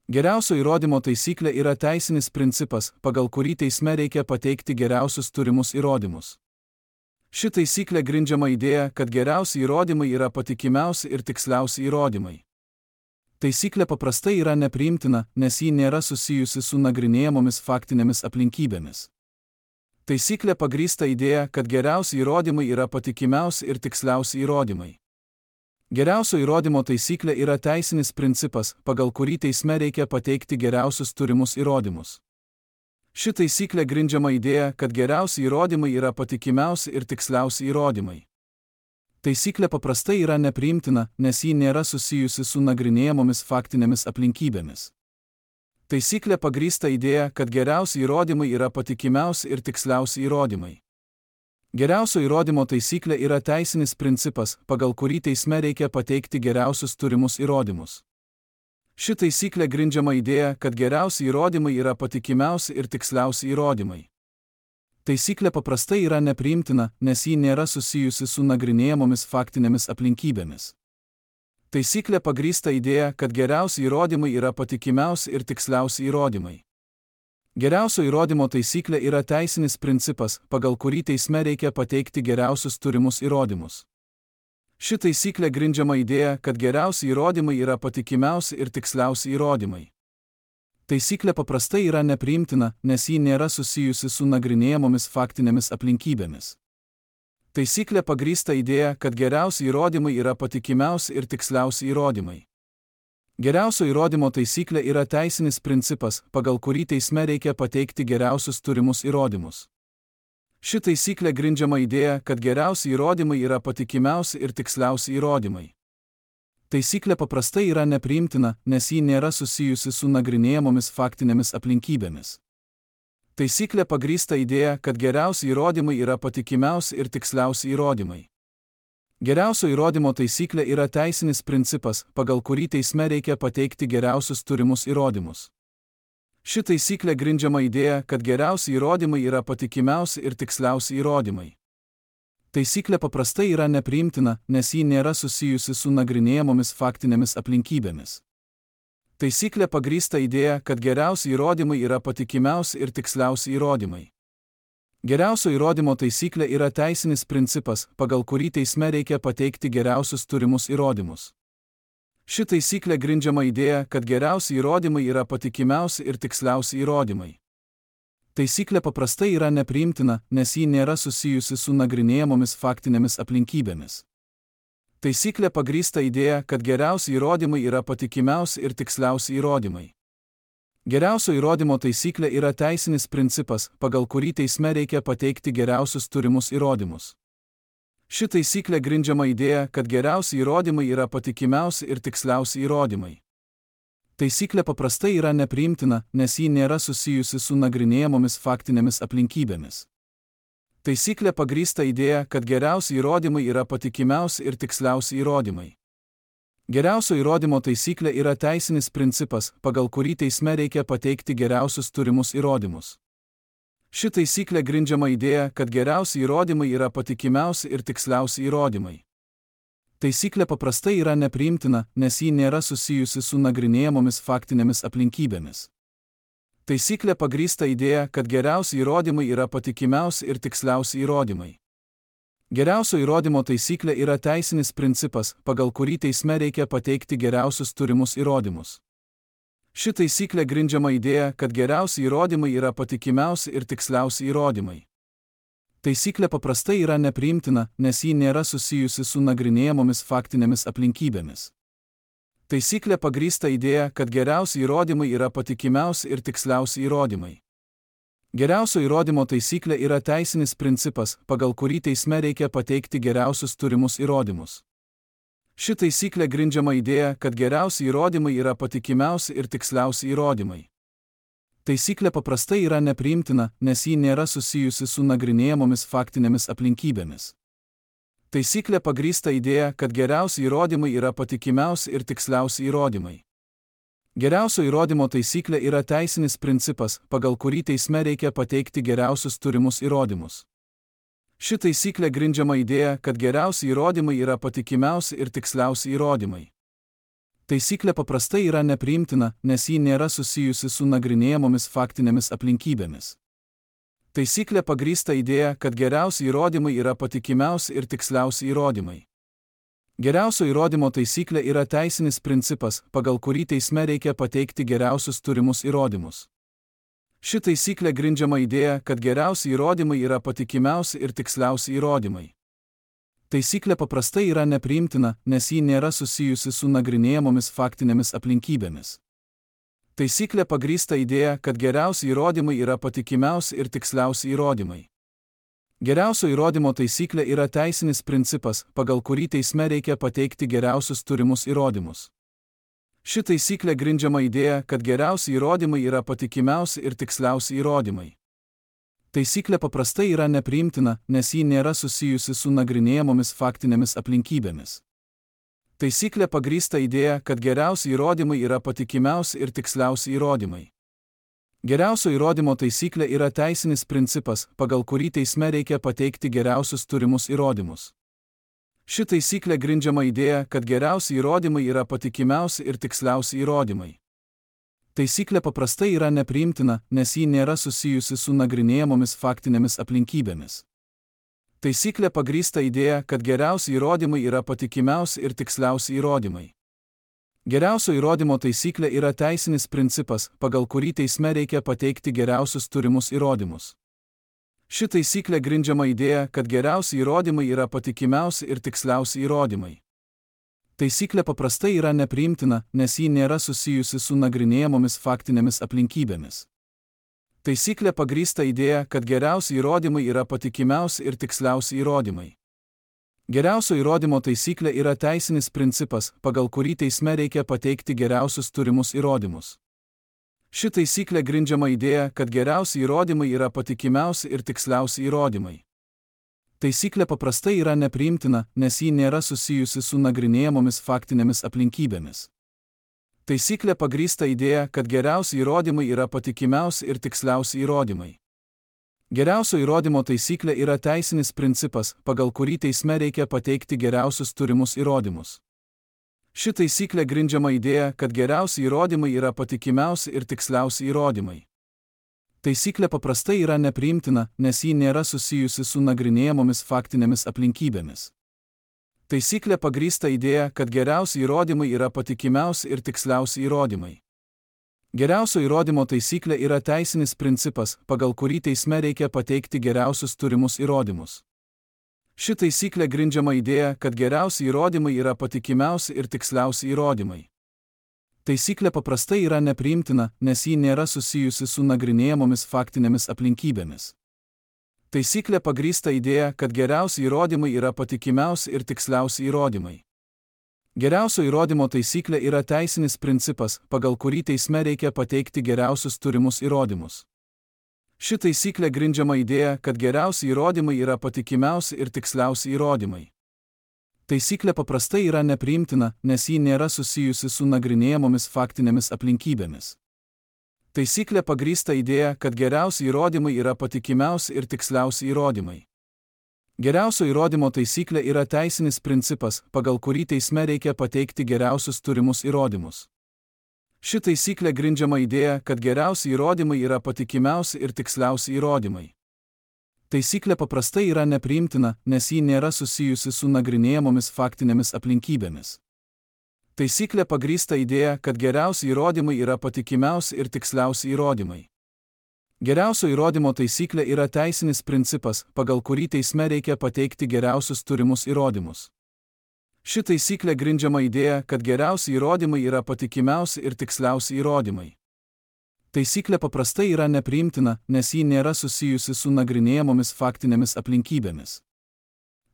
Geriausio įrodymo taisyklė yra teisinis principas, pagal kurį teisme reikia pateikti geriausius turimus įrodymus. Ši taisyklė grindžiama idėja, kad geriausi įrodymai yra patikimiausi ir tiksliausi įrodymai. Taisyklė paprastai yra nepriimtina, nes ji nėra susijusi su nagrinėjamomis faktinėmis aplinkybėmis. Taisyklė pagrįsta idėja, kad geriausi įrodymai yra patikimiausi ir tiksliausi įrodymai. Geriausio įrodymo taisyklė yra teisinis principas, pagal kurį teisme reikia pateikti geriausius turimus įrodymus. Ši taisyklė grindžiama idėja, kad geriausi įrodymai yra patikimiausi ir tiksliausi įrodymai. Taisyklė paprastai yra nepriimtina, nes ji nėra susijusi su nagrinėjamomis faktinėmis aplinkybėmis. Taisyklė pagrįsta idėja, kad geriausi įrodymai yra patikimiausi ir tiksliausi įrodymai. Geriausio įrodymo taisyklė yra teisinis principas, pagal kurį teisme reikia pateikti geriausius turimus įrodymus. Ši taisyklė grindžiama idėja, kad geriausi įrodymai yra patikimiausi ir tiksliausi įrodymai. Taisyklė paprastai yra nepriimtina, nes ji nėra susijusi su nagrinėjamomis faktinėmis aplinkybėmis. Taisyklė pagrįsta idėja, kad geriausi įrodymai yra patikimiausi ir tiksliausi įrodymai. Geriausio įrodymo taisyklė yra teisinis principas, pagal kurį teisme reikia pateikti geriausius turimus įrodymus. Ši taisyklė grindžiama idėja, kad geriausi įrodymai yra patikimiausi ir tiksliausi įrodymai. Taisyklė paprastai yra nepriimtina, nes ji nėra susijusi su nagrinėjamomis faktinėmis aplinkybėmis. Taisyklė pagrįsta idėja, kad geriausi įrodymai yra patikimiausi ir tiksliausi įrodymai. Geriausio įrodymo taisyklė yra teisinis principas, pagal kurį teisme reikia pateikti geriausius turimus įrodymus. Ši taisyklė grindžiama idėja, kad geriausi įrodymai yra patikimiausi ir tiksliausi įrodymai. Taisyklė paprastai yra nepriimtina, nes ji nėra susijusi su nagrinėjamomis faktinėmis aplinkybėmis. Taisyklė pagrįsta idėja, kad geriausi įrodymai yra patikimiausi ir tiksliausi įrodymai. Geriausio įrodymo taisyklė yra teisinis principas, pagal kurį teisme reikia pateikti geriausius turimus įrodymus. Ši taisyklė grindžiama idėja, kad geriausi įrodymai yra patikimiausi ir tiksliausi įrodymai. Taisyklė paprastai yra nepriimtina, nes ji nėra susijusi su nagrinėjamomis faktinėmis aplinkybėmis. Taisyklė pagrįsta idėja, kad geriausi įrodymai yra patikimiausi ir tiksliausi įrodymai. Geriausio įrodymo taisyklė yra teisinis principas, pagal kurį teisme reikia pateikti geriausius turimus įrodymus. Ši taisyklė grindžiama idėja, kad geriausi įrodymai yra patikimiausi ir tiksliausi įrodymai. Taisyklė paprastai yra nepriimtina, nes ji nėra susijusi su nagrinėjamomis faktinėmis aplinkybėmis. Taisyklė pagrįsta idėja, kad geriausi įrodymai yra patikimiausi ir tiksliausi įrodymai. Geriausio įrodymo taisyklė yra teisinis principas, pagal kurį teisme reikia pateikti geriausius turimus įrodymus. Ši taisyklė grindžiama idėja, kad geriausi įrodymai yra patikimiausi ir tiksliausi įrodymai. Taisyklė paprastai yra nepriimtina, nes ji nėra susijusi su nagrinėjamomis faktinėmis aplinkybėmis. Taisyklė pagrįsta idėja, kad geriausi įrodymai yra patikimiausi ir tiksliausi įrodymai. Geriausio įrodymo taisyklė yra teisinis principas, pagal kurį teisme reikia pateikti geriausius turimus įrodymus. Ši taisyklė grindžiama idėja, kad geriausi įrodymai yra patikimiausi ir tiksliausi įrodymai. Taisyklė paprastai yra nepriimtina, nes ji nėra susijusi su nagrinėjamomis faktinėmis aplinkybėmis. Taisyklė pagrįsta idėja, kad geriausi įrodymai yra patikimiausi ir tiksliausi įrodymai. Geriausio įrodymo taisyklė yra teisinis principas, pagal kurį teisme reikia pateikti geriausius turimus įrodymus. Ši taisyklė grindžiama idėja, kad geriausi įrodymai yra patikimiausi ir tiksliausi įrodymai. Taisyklė paprastai yra nepriimtina, nes ji nėra susijusi su nagrinėjamomis faktinėmis aplinkybėmis. Taisyklė pagrįsta idėja, kad geriausi įrodymai yra patikimiausi ir tiksliausi įrodymai. Geriausio įrodymo taisyklė yra teisinis principas, pagal kurį teisme reikia pateikti geriausius turimus įrodymus. Ši taisyklė grindžiama idėja, kad geriausi įrodymai yra patikimiausi ir tiksliausi įrodymai. Taisyklė paprastai yra nepriimtina, nes ji nėra susijusi su nagrinėjamomis faktinėmis aplinkybėmis. Taisyklė pagrįsta idėja, kad geriausi įrodymai yra patikimiausi ir tiksliausi įrodymai. Geriausio įrodymo taisyklė yra teisinis principas, pagal kurį teisme reikia pateikti geriausius turimus įrodymus. Ši taisyklė grindžiama idėja, kad geriausi įrodymai yra patikimiausi ir tiksliausi įrodymai. Taisyklė paprastai yra nepriimtina, nes ji nėra susijusi su nagrinėjamomis faktinėmis aplinkybėmis. Taisyklė pagrįsta idėja, kad geriausi įrodymai yra patikimiausi ir tiksliausi įrodymai. Geriausio įrodymo taisyklė yra teisinis principas, pagal kurį teisme reikia pateikti geriausius turimus įrodymus. Ši taisyklė grindžiama idėja, kad geriausi įrodymai yra patikimiausi ir tiksliausi įrodymai. Taisyklė paprastai yra nepriimtina, nes ji nėra susijusi su nagrinėjamomis faktinėmis aplinkybėmis. Taisyklė pagrįsta idėja, kad geriausi įrodymai yra patikimiausi ir tiksliausi įrodymai. Geriausio įrodymo taisyklė yra teisinis principas, pagal kurį teisme reikia pateikti geriausius turimus įrodymus. Ši taisyklė grindžiama idėja, kad geriausi įrodymai yra patikimiausi ir tiksliausi įrodymai. Taisyklė paprastai yra nepriimtina, nes ji nėra susijusi su nagrinėjamomis faktinėmis aplinkybėmis. Taisyklė pagrįsta idėja, kad geriausi įrodymai yra patikimiausi ir tiksliausi įrodymai. Geriausio įrodymo taisyklė yra teisinis principas, pagal kurį teisme reikia pateikti geriausius turimus įrodymus. Ši taisyklė grindžiama idėja, kad geriausi įrodymai yra patikimiausi ir tiksliausi įrodymai. Taisyklė paprastai yra nepriimtina, nes ji nėra susijusi su nagrinėjamomis faktinėmis aplinkybėmis. Taisyklė pagrįsta idėja, kad geriausi įrodymai yra patikimiausi ir tiksliausi įrodymai. Geriausio įrodymo taisyklė yra teisinis principas, pagal kurį teisme reikia pateikti geriausius turimus įrodymus. Ši taisyklė grindžiama idėja, kad geriausi įrodymai yra patikimiausi ir tiksliausi įrodymai. Taisyklė paprastai yra nepriimtina, nes ji nėra susijusi su nagrinėjamomis faktinėmis aplinkybėmis. Taisyklė pagrįsta idėja, kad geriausi įrodymai yra patikimiausi ir tiksliausi įrodymai. Geriausio įrodymo taisyklė yra teisinis principas, pagal kurį teisme reikia pateikti geriausius turimus įrodymus. Ši taisyklė grindžiama idėja, kad geriausi įrodymai yra patikimiausi ir tiksliausi įrodymai. Taisyklė paprastai yra nepriimtina, nes ji nėra susijusi su nagrinėjamomis faktinėmis aplinkybėmis. Taisyklė pagrįsta idėja, kad geriausi įrodymai yra patikimiausi ir tiksliausi įrodymai. Geriausio įrodymo taisyklė yra teisinis principas, pagal kurį teisme reikia pateikti geriausius turimus įrodymus. Ši taisyklė grindžiama idėja, kad geriausi įrodymai yra patikimiausi ir tiksliausi įrodymai. Taisyklė paprastai yra nepriimtina, nes ji nėra susijusi su nagrinėjamomis faktinėmis aplinkybėmis. Taisyklė pagrįsta idėja, kad geriausi įrodymai yra patikimiausi ir tiksliausi įrodymai. Geriausio įrodymo taisyklė yra teisinis principas, pagal kurį teisme reikia pateikti geriausius turimus įrodymus. Ši taisyklė grindžiama idėja, kad geriausi įrodymai yra patikimiausi ir tiksliausi įrodymai. Taisyklė paprastai yra nepriimtina, nes ji nėra susijusi su nagrinėjamomis faktinėmis aplinkybėmis. Taisyklė pagrįsta idėja, kad geriausi įrodymai yra patikimiausi ir tiksliausi įrodymai. Geriausio įrodymo taisyklė yra teisinis principas, pagal kurį teisme reikia pateikti geriausius turimus įrodymus. Ši taisyklė grindžiama idėja, kad geriausi įrodymai yra patikimiausi ir tiksliausi įrodymai. Taisyklė paprastai yra nepriimtina, nes ji nėra susijusi su nagrinėjamomis faktinėmis aplinkybėmis. Taisyklė pagrįsta idėja, kad geriausi įrodymai yra patikimiausi ir tiksliausi įrodymai. Geriausio įrodymo taisyklė yra teisinis principas, pagal kurį teisme reikia pateikti geriausius turimus įrodymus. Ši taisyklė grindžiama idėja, kad geriausi įrodymai yra patikimiausi ir tiksliausi įrodymai. Taisyklė paprastai yra nepriimtina, nes ji nėra susijusi su nagrinėjamomis faktinėmis aplinkybėmis. Taisyklė pagrįsta idėja, kad geriausi įrodymai yra patikimiausi ir tiksliausi įrodymai. Geriausio įrodymo taisyklė yra teisinis principas, pagal kurį teisme reikia pateikti geriausius turimus įrodymus. Ši taisyklė grindžiama idėja, kad geriausi įrodymai yra patikimiausi ir tiksliausi įrodymai. Taisyklė paprastai yra nepriimtina, nes ji nėra susijusi su nagrinėjamomis faktinėmis aplinkybėmis.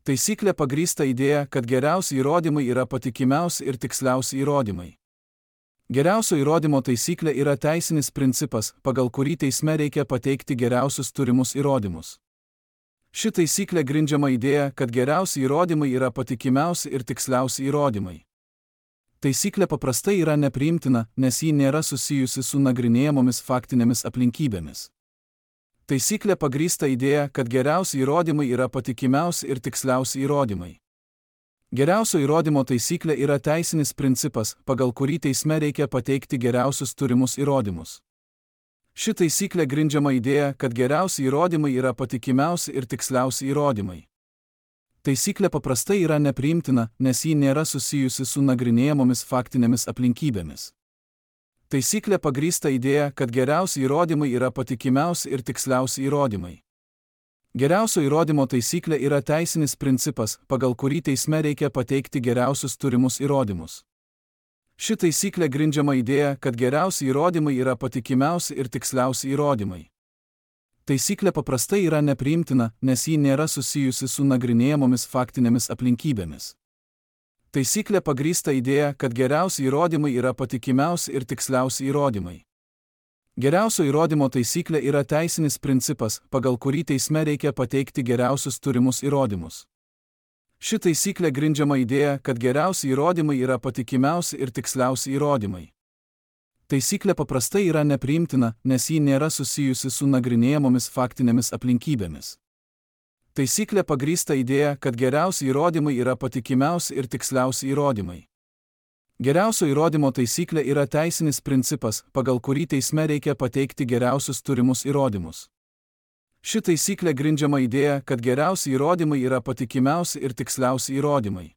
Taisyklė pagrįsta idėja, kad geriausi įrodymai yra patikimiausi ir tiksliausi įrodymai. Geriausio įrodymo taisyklė yra teisinis principas, pagal kurį teisme reikia pateikti geriausius turimus įrodymus. Ši taisyklė grindžiama idėja, kad geriausi įrodymai yra patikimiausi ir tiksliausi įrodymai. Taisyklė paprastai yra nepriimtina, nes ji nėra susijusi su nagrinėjamomis faktinėmis aplinkybėmis. Taisyklė pagrįsta idėja, kad geriausi įrodymai yra patikimiausi ir tiksliausi įrodymai. Geriausio įrodymo taisyklė yra teisinis principas, pagal kurį teisme reikia pateikti geriausius turimus įrodymus. Ši taisyklė grindžiama idėja, kad geriausi įrodymai yra patikimiausi ir tiksliausi įrodymai. Taisyklė paprastai yra nepriimtina, nes ji nėra susijusi su nagrinėjamomis faktinėmis aplinkybėmis. Taisyklė pagrįsta idėja, kad geriausi įrodymai yra patikimiausi ir tiksliausi įrodymai. Geriausio įrodymo taisyklė yra teisinis principas, pagal kurį teisme reikia pateikti geriausius turimus įrodymus. Ši taisyklė grindžiama idėja, kad geriausi įrodymai yra patikimiausi ir tiksliausi įrodymai. Taisyklė paprastai yra nepriimtina, nes ji nėra susijusi su nagrinėjamomis faktinėmis aplinkybėmis. Taisyklė pagrįsta idėja, kad geriausi įrodymai yra patikimiausi ir tiksliausi įrodymai. Geriausio įrodymo taisyklė yra teisinis principas, pagal kurį teisme reikia pateikti geriausius turimus įrodymus. Ši taisyklė grindžiama idėja, kad geriausi įrodymai yra patikimiausi ir tiksliausi įrodymai. Taisyklė paprastai yra nepriimtina, nes ji nėra susijusi su nagrinėjamomis faktinėmis aplinkybėmis. Taisyklė pagrįsta idėja, kad geriausi įrodymai yra patikimiausi ir tiksliausi įrodymai. Geriausio įrodymo taisyklė yra teisinis principas, pagal kurį teisme reikia pateikti geriausius turimus įrodymus. Ši taisyklė grindžiama idėja, kad geriausi įrodymai yra patikimiausi ir tiksliausi įrodymai.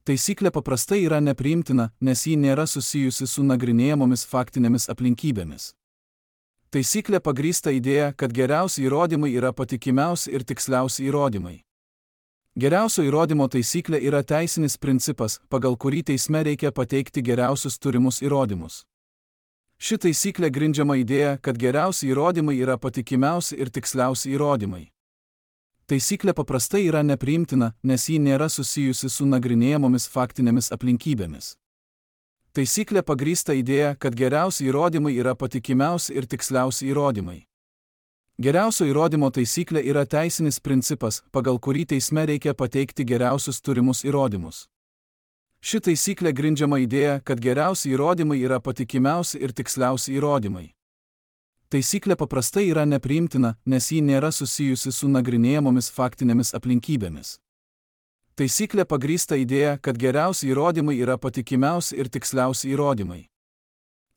Taisyklė paprastai yra nepriimtina, nes ji nėra susijusi su nagrinėjamomis faktinėmis aplinkybėmis. Taisyklė pagrįsta idėja, kad geriausi įrodymai yra patikimiausi ir tiksliausi įrodymai. Geriausio įrodymo taisyklė yra teisinis principas, pagal kurį teisme reikia pateikti geriausius turimus įrodymus. Ši taisyklė grindžiama idėja, kad geriausi įrodymai yra patikimiausi ir tiksliausi įrodymai. Taisyklė paprastai yra nepriimtina, nes ji nėra susijusi su nagrinėjamomis faktinėmis aplinkybėmis. Taisyklė pagrįsta idėja, kad geriausi įrodymai yra patikimiausi ir tiksliausi įrodymai. Geriausio įrodymo taisyklė yra teisinis principas, pagal kurį teisme reikia pateikti geriausius turimus įrodymus. Ši taisyklė grindžiama idėja, kad geriausi įrodymai yra patikimiausi ir tiksliausi įrodymai. Taisyklė paprastai yra nepriimtina, nes ji nėra susijusi su nagrinėjamomis faktinėmis aplinkybėmis. Taisyklė pagrįsta idėja, kad geriausi įrodymai yra patikimiausi ir tiksliausi įrodymai.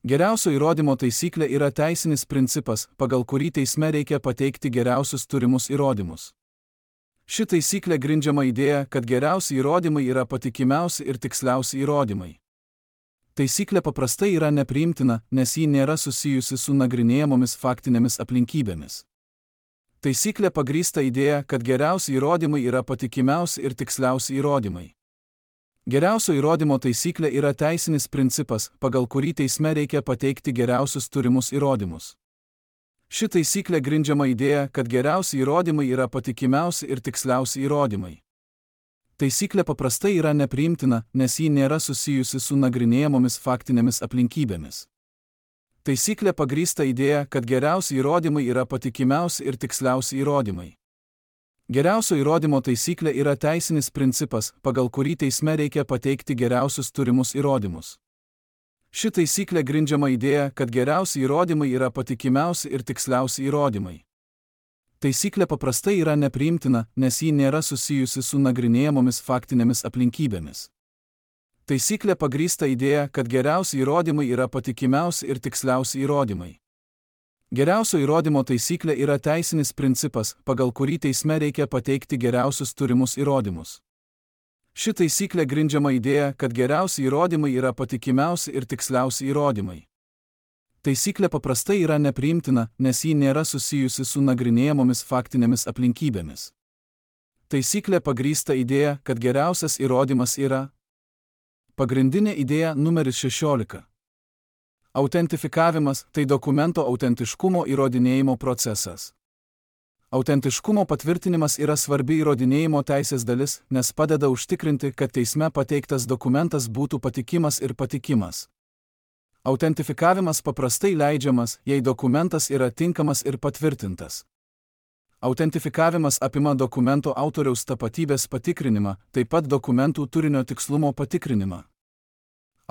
Geriausio įrodymo taisyklė yra teisinis principas, pagal kurį teisme reikia pateikti geriausius turimus įrodymus. Ši taisyklė grindžiama idėja, kad geriausi įrodymai yra patikimiausi ir tiksliausi įrodymai. Taisyklė paprastai yra nepriimtina, nes ji nėra susijusi su nagrinėjamomis faktinėmis aplinkybėmis. Taisyklė pagrįsta idėja, kad geriausi įrodymai yra patikimiausi ir tiksliausi įrodymai. Geriausio įrodymo taisyklė yra teisinis principas, pagal kurį teisme reikia pateikti geriausius turimus įrodymus. Ši taisyklė grindžiama idėja, kad geriausi įrodymai yra patikimiausi ir tiksliausi įrodymai. Taisyklė paprastai yra nepriimtina, nes ji nėra susijusi su nagrinėjamomis faktinėmis aplinkybėmis. Taisyklė pagrįsta idėja, kad geriausi įrodymai yra patikimiausi ir tiksliausi įrodymai. Geriausio įrodymo taisyklė yra teisinis principas, pagal kurį teisme reikia pateikti geriausius turimus įrodymus. Ši taisyklė grindžiama idėja, kad geriausi įrodymai yra patikimiausi ir tiksliausi įrodymai. Taisyklė paprastai yra nepriimtina, nes ji nėra susijusi su nagrinėjamomis faktinėmis aplinkybėmis. Taisyklė pagrįsta idėja, kad geriausi įrodymai yra patikimiausi ir tiksliausi įrodymai. Geriausio įrodymo taisyklė yra teisinis principas, pagal kurį teisme reikia pateikti geriausius turimus įrodymus. Ši taisyklė grindžiama idėja, kad geriausi įrodymai yra patikimiausi ir tiksliausi įrodymai. Taisyklė paprastai yra nepriimtina, nes ji nėra susijusi su nagrinėjamomis faktinėmis aplinkybėmis. Taisyklė pagrįsta idėja, kad geriausias įrodymas yra. Pagrindinė idėja numeris 16. Autentifikavimas – tai dokumento autentiškumo įrodinėjimo procesas. Autentiškumo patvirtinimas yra svarbi įrodinėjimo teisės dalis, nes padeda užtikrinti, kad teisme pateiktas dokumentas būtų patikimas ir patikimas. Autentifikavimas paprastai leidžiamas, jei dokumentas yra tinkamas ir patvirtintas. Autentifikavimas apima dokumento autoriaus tapatybės patikrinimą, taip pat dokumentų turinio tikslumo patikrinimą.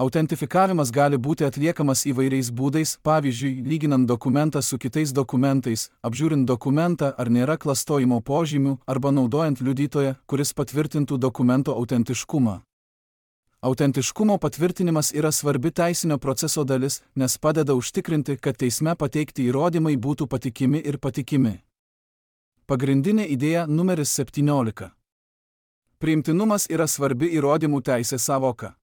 Autentifikavimas gali būti atliekamas įvairiais būdais, pavyzdžiui, lyginant dokumentą su kitais dokumentais, apžiūrint dokumentą, ar nėra klastojimo požymių, arba naudojant liudytoją, kuris patvirtintų dokumento autentiškumą. Autentiškumo patvirtinimas yra svarbi teisinio proceso dalis, nes padeda užtikrinti, kad teisme pateikti įrodymai būtų patikimi ir patikimi. Pagrindinė idėja numeris 17. Priimtinumas yra svarbi įrodymų teisės sąvoka.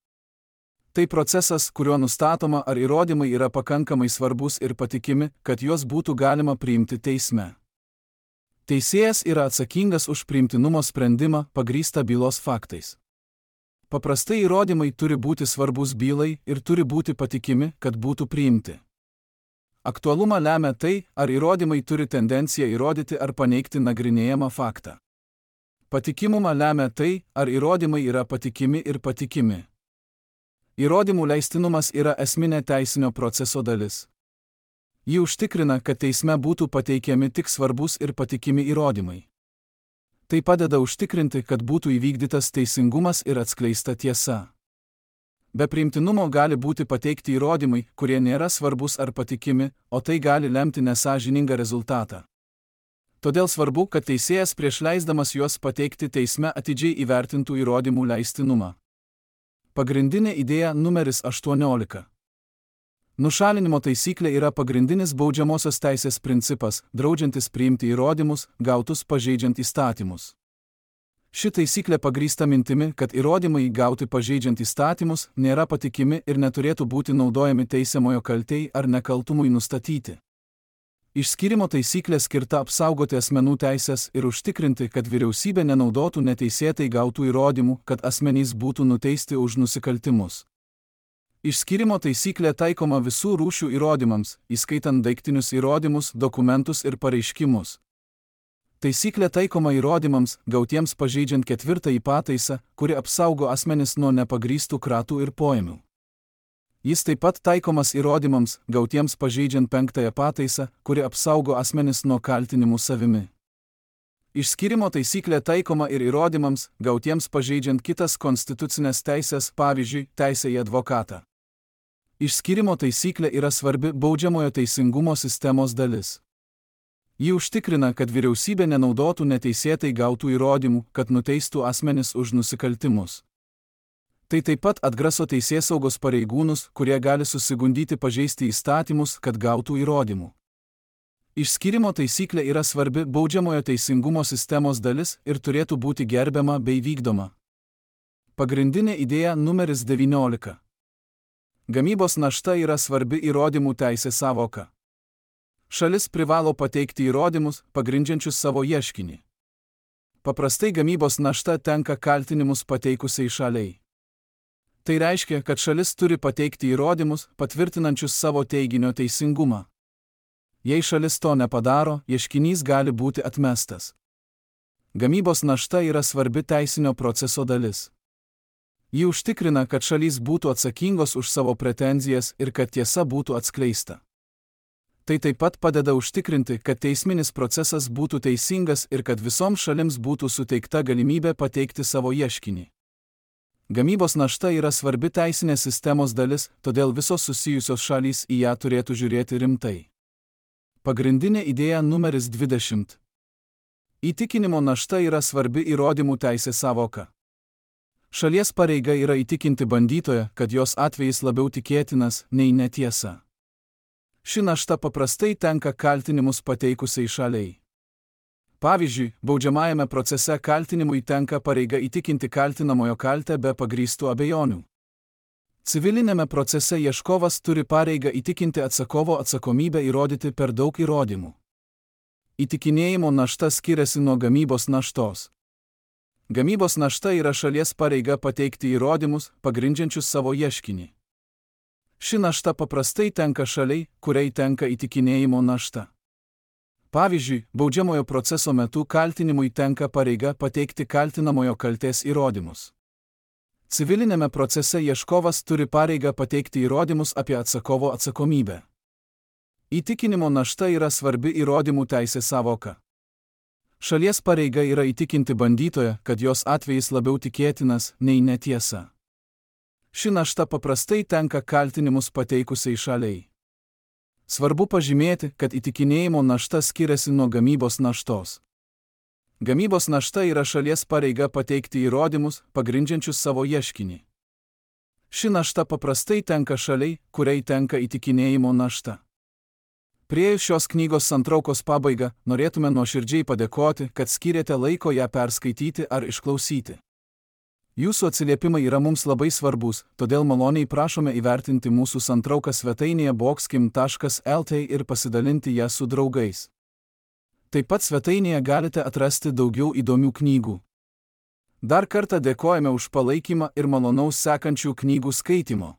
Tai procesas, kuriuo nustatoma, ar įrodymai yra pakankamai svarbus ir patikimi, kad juos būtų galima priimti teisme. Teisėjas yra atsakingas už priimtinumo sprendimą, pagrįstą bylos faktais. Paprastai įrodymai turi būti svarbus bylai ir turi būti patikimi, kad būtų priimti. Aktualumą lemia tai, ar įrodymai turi tendenciją įrodyti ar paneigti nagrinėjamą faktą. Patikimumą lemia tai, ar įrodymai yra patikimi ir patikimi. Įrodymų leistinumas yra esminė teisinio proceso dalis. Ji užtikrina, kad teisme būtų pateikiami tik svarbus ir patikimi įrodymai. Tai padeda užtikrinti, kad būtų įvykdytas teisingumas ir atskleista tiesa. Be priimtinumo gali būti pateikti įrodymai, kurie nėra svarbus ar patikimi, o tai gali lemti nesąžiningą rezultatą. Todėl svarbu, kad teisėjas prieš leisdamas juos pateikti teisme atidžiai įvertintų įrodymų leistinumą. Pagrindinė idėja numeris 18. Nušalinimo taisyklė yra pagrindinis baudžiamosios teisės principas, draudžiantis priimti įrodymus, gautus pažeidžiant įstatymus. Ši taisyklė pagrįsta mintimi, kad įrodymai gauti pažeidžiant įstatymus nėra patikimi ir neturėtų būti naudojami teisiamojo kaltei ar nekaltumui nustatyti. Išskyrimo taisyklė skirta apsaugoti asmenų teisės ir užtikrinti, kad vyriausybė nenaudotų neteisėtai gautų įrodymų, kad asmenys būtų nuteisti už nusikaltimus. Išskyrimo taisyklė taikoma visų rūšių įrodymams, įskaitant daiktinius įrodymus, dokumentus ir pareiškimus. Taisyklė taikoma įrodymams, gautiems pažeidžiant 4 pataisą, kuri apsaugo asmenis nuo nepagrįstų kratų ir poėmių. Jis taip pat taikomas įrodymams, gautiems pažeidžiant 5 pataisą, kuri apsaugo asmenis nuo kaltinimų savimi. Išskyrimo taisyklė taikoma ir įrodymams, gautiems pažeidžiant kitas konstitucinės teisės, pavyzdžiui, teisę į advokatą. Išskyrimo taisyklė yra svarbi baudžiamojo teisingumo sistemos dalis. Ji užtikrina, kad vyriausybė nenaudotų neteisėtai gautų įrodymų, kad nuteistų asmenis už nusikaltimus. Tai taip pat atgraso teisėsaugos pareigūnus, kurie gali susigundyti pažeisti įstatymus, kad gautų įrodymų. Išskyrimo taisyklė yra svarbi baudžiamojo teisingumo sistemos dalis ir turėtų būti gerbiama bei vykdoma. Pagrindinė idėja numeris 19. Gamybos našta yra svarbi įrodymų teisės sąvoka. Šalis privalo pateikti įrodymus, pagrindžiančius savo ieškinį. Paprastai gamybos našta tenka kaltinimus pateikusiai šaliai. Tai reiškia, kad šalis turi pateikti įrodymus, patvirtinančius savo teiginio teisingumą. Jei šalis to nepadaro, ieškinys gali būti atmestas. Gamybos našta yra svarbi teisinio proceso dalis. Ji užtikrina, kad šalys būtų atsakingos už savo pretenzijas ir kad tiesa būtų atskleista. Tai taip pat padeda užtikrinti, kad teisminis procesas būtų teisingas ir kad visoms šalims būtų suteikta galimybė pateikti savo ieškinį. Gamybos našta yra svarbi teisinės sistemos dalis, todėl visos susijusios šalys į ją turėtų žiūrėti rimtai. Pagrindinė idėja numeris 20. Įtikinimo našta yra svarbi įrodymų teisės sąvoka. Šalies pareiga yra įtikinti bandytoją, kad jos atvejis labiau tikėtinas nei netiesa. Ši našta paprastai tenka kaltinimus pateikusiai šaliai. Pavyzdžiui, baudžiamajame procese kaltinimui tenka pareiga įtikinti kaltinamojo kaltę be pagrįstų abejonių. Civilinėme procese ieškovas turi pareigą įtikinti atsakovo atsakomybę įrodyti per daug įrodymų. Įtikinėjimo našta skiriasi nuo gamybos naštos. Gamybos našta yra šalies pareiga pateikti įrodymus, pagrindžiančius savo ieškinį. Ši našta paprastai tenka šaliai, kuriai tenka įtikinėjimo našta. Pavyzdžiui, baudžiamojo proceso metu kaltinimui tenka pareiga pateikti kaltinamojo kaltės įrodymus. Civilinėme procese ieškovas turi pareigą pateikti įrodymus apie atsakovo atsakomybę. Įtikinimo našta yra svarbi įrodymų teisės sąvoka. Šalies pareiga yra įtikinti bandytoją, kad jos atvejis labiau tikėtinas nei netiesa. Ši našta paprastai tenka kaltinimus pateikusiai šaliai. Svarbu pažymėti, kad įtikinėjimo našta skiriasi nuo gamybos naštos. Gamybos našta yra šalies pareiga pateikti įrodymus, pagrindžiančius savo ieškinį. Ši našta paprastai tenka šaliai, kuriai tenka įtikinėjimo našta. Priėjus šios knygos santraukos pabaigą, norėtume nuoširdžiai padėkoti, kad skyrėte laiko ją perskaityti ar išklausyti. Jūsų atsiliepimai yra mums labai svarbus, todėl maloniai prašome įvertinti mūsų santrauką svetainėje boxkim.lt ir pasidalinti ją su draugais. Taip pat svetainėje galite atrasti daugiau įdomių knygų. Dar kartą dėkojame už palaikymą ir malonaus sekančių knygų skaitimo.